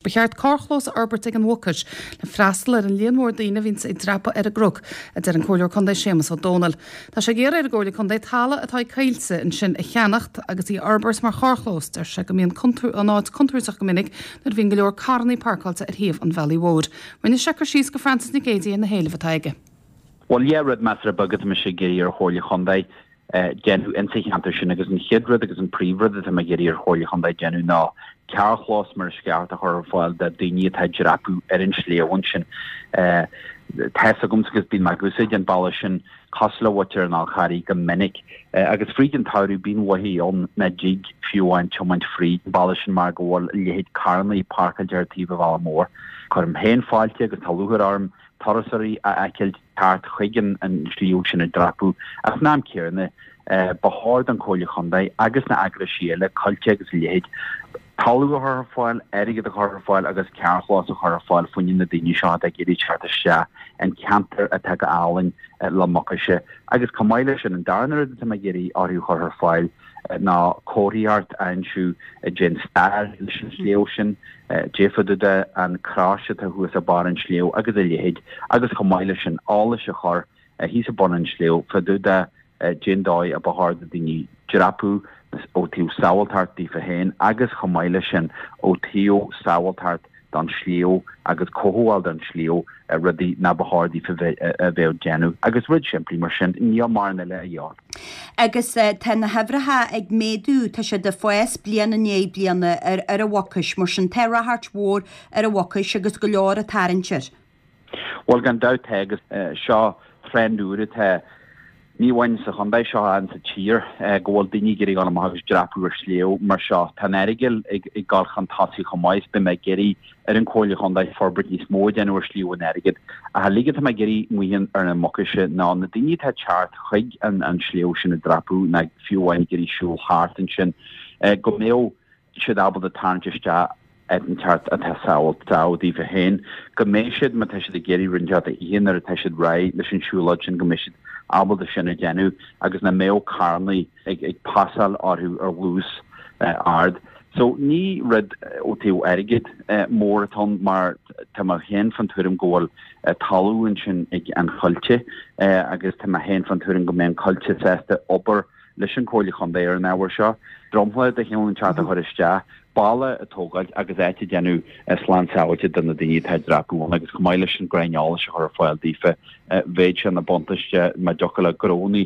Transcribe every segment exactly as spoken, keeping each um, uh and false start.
Ba cheart carrchlós a fhorbairt ag an Mhucais le freastal ar an líon mór daoine a bhíonns ag dreapadh ar an gcnoc, a deir an Comhairleoir Contae Séamus Ó Dónaill. Tá sé ag iarraidh ar an gComhairle Contae talamh atá ag Coillte ansin a cheannacht agus í a fhorbairt mar charrchlós. Deir sé go mbíonn an áit contúirteach go minic nuair a bhíonn go leor carrannaí páirceáilte ar thaobh an bhealaigh mhóir. Rinne sé cur síos go Frances Nic Géadaigh ar na héilimh atá aige. Bhuel, dhá rud measartha beag atá mise ag iarraidh ar Chomhairle Chontae déanamh insa cheantar sin agus an chéad rud agus an príomhrud atá mé ag iarraidh ar Chomhairle Chontae déanamh ná carrchlós mar is ceart a chur ar fáil do daoine atá ag dreapadh ar an sliabh ansin. Tá's agamsa agus bíonn mé ag úsáid an bealach sin cosúil le muintir an Fháil Charraigh go minic agus fríd an tsamhradh bíonn mhaithe ann nach dtig fiú amháin tiomáint fríd an bealach sin mar go bhfuil a leithéid carrannaí páirceáilte ar taobh an bhealaigh mhóir. Cuirim féin fáilte agus tá lúcháir orm turasóirí a fheiceáil teacht chuig an sliabh sin ag dreapadh ach san am céanna ba chóir don Chomhairle Chontae agus na eagraisí eile, Coillte agus a leithéid, talamh a chur ar fáil, airgead a chur ar fáil agus carrchlós a chur ar fáil fá choinne na daoine seo atá ag iarraidh teacht isteach an ceantar atá go álainn le Mucais. Agus chomh maith leis sin, an darna rud atá mé ag iarraidh orthu a chur ar fáil ná comharthaíocht a inseodh cén stair leis an sliabh sin, caidé fá dtaobh de an crois atá thuas ag barr an tsléibh agus a leithéid agus chomh maith leis sin eolas a chur thíos ag bun an tsléibh fá dtaobh de cén dóigh a ba chóir do daoine dreapadh ó taobh sábháilteacht daofa féin agus chomh maith leis sin ó taobh sábháilteacht don sliabh agus cothabháil don sliabh, rudaí ná ba chóir daofa a bheith ag déanamh agus rud simplí mar sin, níl mórán eile a dhíobháil. Agus tá na huimhreacha ag méadú, tá siad ag fás bliain i ndiaidh bliana ar ar an Mhucais, mar sin tá ráchairt mhór ar an Mhucais agus go leor ag tarraingt air. Bhuel gan dabht tá agus seo trend úr atá ní amháin sa chontae seo ach sa tír go bhfuil daoine ag iarraidh dul amach agus dreapadh ar shliabh mar seo. Tá an Earagail ag dul chun tosaigh chomh maith is beidh mé ag iarraidh ar an Chomhairle Chontae forbairt níos mó a dhéanamh ar Shliabh an Airgid. Ach an uilig atá mé ag iarraidh amuigh ar an Mucais ná na daoine atá ag teacht chuig an sliabh sin ag dreapadh ná fiú amháin ag iarraidh siúl thart ansin go mbeadh siad ábalta tarraingt isteach áit inteacht atá sábháilte daofa féin, go mbeidh siad, má tá siad ag iarraidh rud inteacht a ithe nuair atá siad réidh leis an siúlóid sin, go mbeidh siad ábalta sin a dhéanamh agus nach mbeadh carrannaí ag ag pasáil orthu ar luas ard. So ní rud ó taobh airgid mór atá ann mar tá mé féin fan tuairim go bhfuil talamh ansin ag an Choillte agus tá mé féin fan tuairim go mbeidh an Coillte sásta obair leis an Chomhairle Chontae ar an ábhar seo, dromchla de chineál inteacht a chur isteach, balla a tógáilt agus áit a dhéanamh slán sábháilte do na daoine atá ag dreapadh ann agus chomh maith leis sin crainn eolais a chur ar fáil daofa, bheadh sé ina buntáiste má dtiocfadh le gnónnaí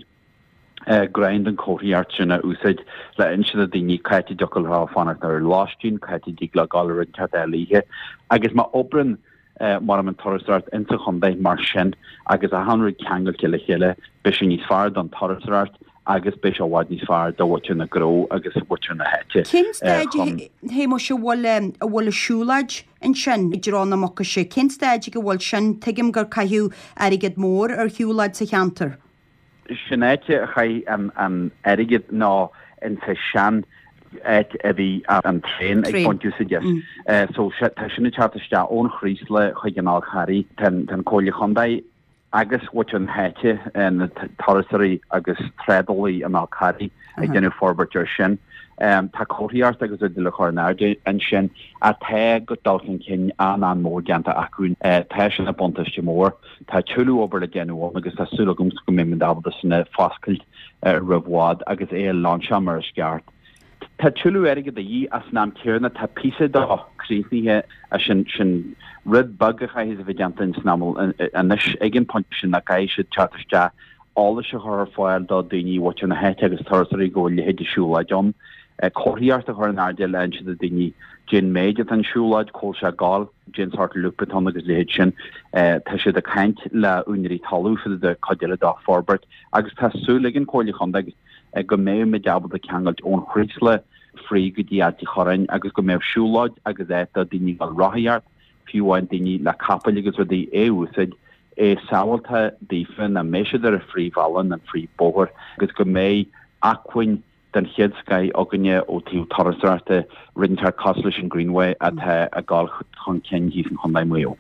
crainn den chomharthaíocht sin a úsáid le inse do daoine cá háit a dtiocfadh leo fanacht ar lóistín, cá háit a dtig leo dul ar rud inteacht a ithe agus má oibreann mar an turasóireacht insa chontae mar sin agus achan rud ceangailte le chéile, beidh sé níos fearr don turasóireacht agus beidh sé i bhfad níos fearr do mhuintir na gcró agus mhuintir na háite. Cén staid a Shéamuis a bhfuil a bhfuil an siúlóid ansin i dtreo na Mucaise? Cén staid ag a bhfuil sin? Tuigim gur caitheadh airgead mór ar shiúlóid sa cheantar. Sin áit a chaith an airgead ná insa sean áit a bhí an traein ag baint úsáid as. So tá sin ag teacht isteach ón Chraoslaigh chuig an Fhál Charraigh. Tá an Comhairle Chontae agus mhuintir na háite, na turasóirí agus trádálaí an Fhál Carraigh ag déanamh forbairt ar sin. Tá comharthaíocht agus rudaí le cur in airde ansin ach tá dul chun cinn an-an-mhór déanta acu. Tá sin ina buntáiste mór. Tá tuilleadh obair le déanamh ann agus tá súil agamsa go mbeidh muid ábalta sin a foscailt roimh i bhfad agus é a lainseáil mar is ceart. Tá tuilleadh airgid de dhíth ach san am céanna tá píosa dó críochnaithe sin sin rud beag a chaithfidh a bheith déanta ins an am anois ag an pointe sin ná caithfidh siad teacht isteach eolas a chur ar fáil do daoine mhuintir na háite agus turasóirí go bhfuil a leithéid de siúlóid ann, comharthaíocht a chur in airde le inse do daoine cén méid atá an siúlóid, cá bhfuil sé ag gabháil, cén sórt loop atá ann agus a leithéid sin. Tá siad ag caint le úinéirí talún fá dtaobh de cuid eile dá forbairt agus tá súil ag an Chomhairle Chontae go mbeidh muid ábalta ceangailt ón Chraoslach fríd go dtí Ailt an Chorráin agus go mbeadh siúlóid agus áit do daoine ag dul rothaíocht, fiú amháin daoine le capaill agus rudaí é a úsáid. é sábhálta daofa, nach mbeidh siad ar an phríomhbhealach nó an phríomhbhóthar agus go mbeidh acmhainn den chéad scoith againne ó taobh turasóireachta, rud inteacht cosúil leis an Greenway atá ag dul chun cinn thíos in Chontae Mhaigh Eo.